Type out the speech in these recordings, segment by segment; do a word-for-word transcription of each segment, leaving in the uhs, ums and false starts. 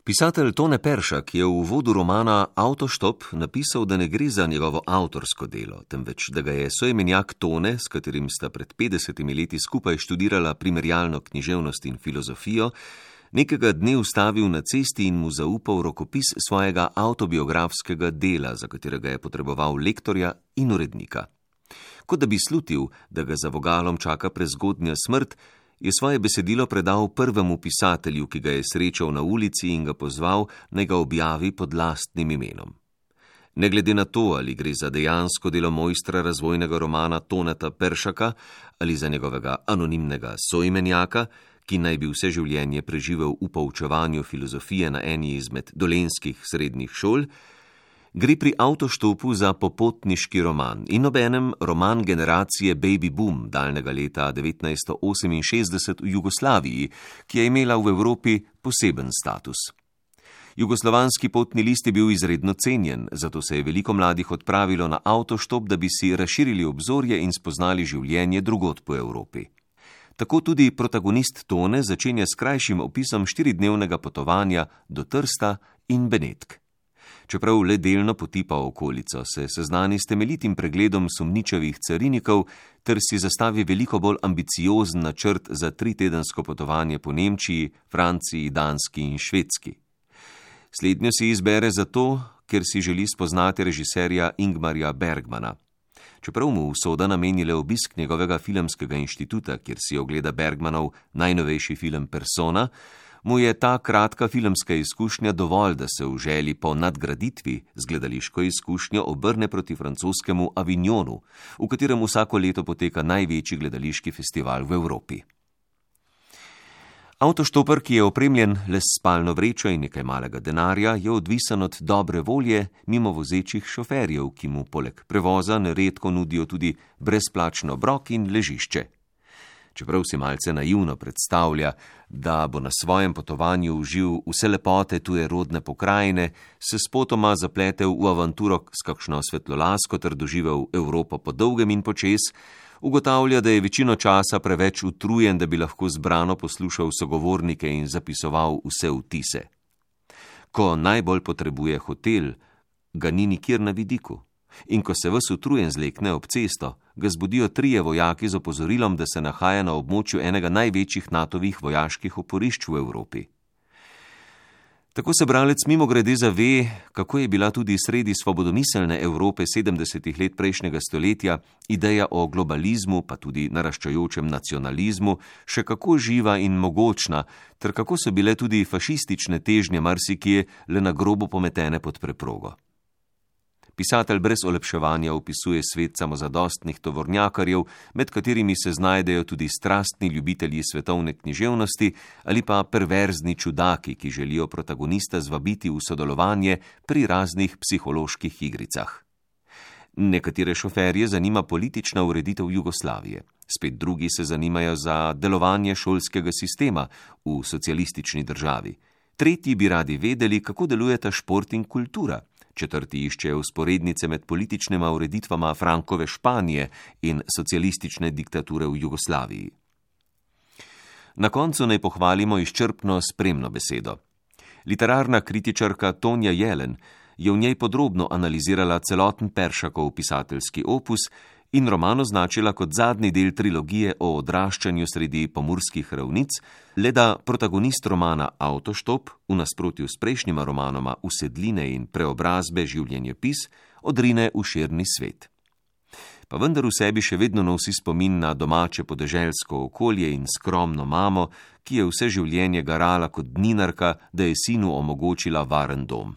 Pisatelj Tone Peršak je v uvodu romana Avtoštop napisal, da ne gre za njegovo avtorsko delo, temveč da ga je soimenjak Tone, s katerim sta pred petdesetimi leti skupaj študirala primerjalno književnost in filozofijo, nekega dne ustavil na cesti in mu zaupal rokopis svojega avtobiografskega dela, za katerega je potreboval lektorja in urednika. Kot da bi slutil, da ga za vogalom čaka prezgodnja smrt, je svoje besedilo predal prvemu pisatelju, ki ga je srečal na ulici in ga pozval, naj ga objavi pod lastnim imenom. Ne glede na to, ali gre za dejansko delo mojstra razvojnega romana Toneta Peršaka ali za njegovega anonimnega soimenjaka, ki naj bi vse življenje preživel v poučevanju filozofije na eni izmed dolenjskih srednjih šol, gre pri Avtoštopu za popotniški roman in obenem roman generacije Baby Boom daljnega leta devetnajststo oseminšestdeset v Jugoslaviji, ki je imela v Evropi poseben status. Jugoslovanski potni list je bil izredno cenjen, zato se je veliko mladih odpravilo na Avtoštop, da bi si razširili obzorje in spoznali življenje drugod po Evropi. Tako tudi protagonist Tone začenja s krajšim opisom štiridnevnega potovanja do Trsta in Benetk. Čeprav le delno potipa okolico, se seznani s temeljitim pregledom sumničavih carinikov ter si zastavi veliko bolj ambiciozen načrt za tritedensko potovanje po Nemčiji, Franciji, Danski in Švedski. Slednjo si izbere zato, ker si želi spoznati režiserja Ingmarja Bergmana. Čeprav mu usoda nameni le obisk njegovega filmskega inštituta, kjer si ogleda Bergmanov najnovejši film Persona, mu je ta kratka filmska izkušnja dovolj, da se v želji po nadgraditvi z gledališko izkušnjo obrne proti francoskemu Avignonu, v katerem vsako leto poteka največji gledališki festival v Evropi. Avtoštoper, ki je opremljen le s spalno vrečo in nekaj malega denarja, je odvisen od dobre volje mimo vozečih šoferjev, ki mu poleg prevoza neredko nudijo tudi brezplačno obrok in ležišče. Čeprav si malce naivno predstavlja, da bo na svojem potovanju uživ vse lepote tuje rodne pokrajine, se spotoma zapletel v avanturo s kakšno svetlolasko ter doživel Evropo po dolgem in počez, ugotavlja, da je večino časa preveč utrujen, da bi lahko zbrano poslušal sogovornike in zapisoval vse vtise. Ko najbolj potrebuje hotel, ga ni nikjer na vidiku. In ko se ves utrujen zlekne ob cesto, ga zbudijo trije vojaki z opozorilom, da se nahaja na območju enega največjih natovih vojaških oporišč v Evropi. Tako se bralec mimogrede zave, kako je bila tudi sredi svobodomiselne Evrope sedemdesetih let prejšnjega stoletja ideja o globalizmu, pa tudi naraščajočem nacionalizmu, še kako živa in mogočna, ter kako so bile tudi fašistične težnje marsikje le na grobo pometene pod preprogo. Pisatelj brez olepševanja opisuje svet samozadostnih tovornjakarjev, med katerimi se znajdejo tudi strastni ljubitelji svetovne književnosti ali pa perverzni čudaki, ki želijo protagonista zvabiti v sodelovanje pri raznih psiholoških igricah. Nekatere šoferje zanima politična ureditev Jugoslavije, spet drugi se zanimajo za delovanje šolskega sistema v socialistični državi. Tretji bi radi vedeli, kako delujeta šport in kultura. Četrti iščejo vzporednice med političnima ureditvama Frankove Španije in socialistične diktature v Jugoslaviji. Na koncu naj pohvalimo izčrpno spremno besedo. Literarna kritičarka Tonja Jelen je v njej podrobno analizirala celoten Peršakov pisateljski opus in roman označila kot zadnji del trilogije o odraščanju sredi pomurskih ravnic, le da protagonist romana Avtoštop, v nasprotju s prejšnjima romanoma Usedline in Preobrazbe življenjepis, odrine v širni svet. Pa vendar v sebi še vedno nosi spomin na domače podeželsko okolje in skromno mamo, ki je vse življenje garala kot dninarka, da je sinu omogočila varen dom.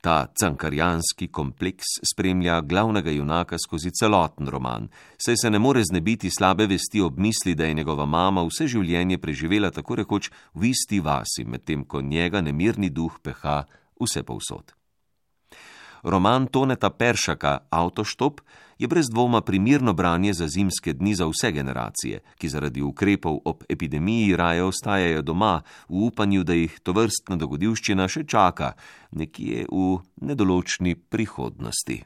Ta cankarjanski kompleks spremlja glavnega junaka skozi celoten roman, saj se ne more znebiti slabe vesti ob misli, da je njegova mama vse življenje preživela tako rekoč v isti vasi, medtem ko njega nemirni duh peha vse povsod. Roman Toneta Peršaka Avtoštop je brez dvoma primirno branje za zimske dni za vse generacije, ki zaradi ukrepov ob epidemiji raje ostajajo doma v upanju, da jih tovrstna dogodivščina še čaka nekje v nedoločni prihodnosti.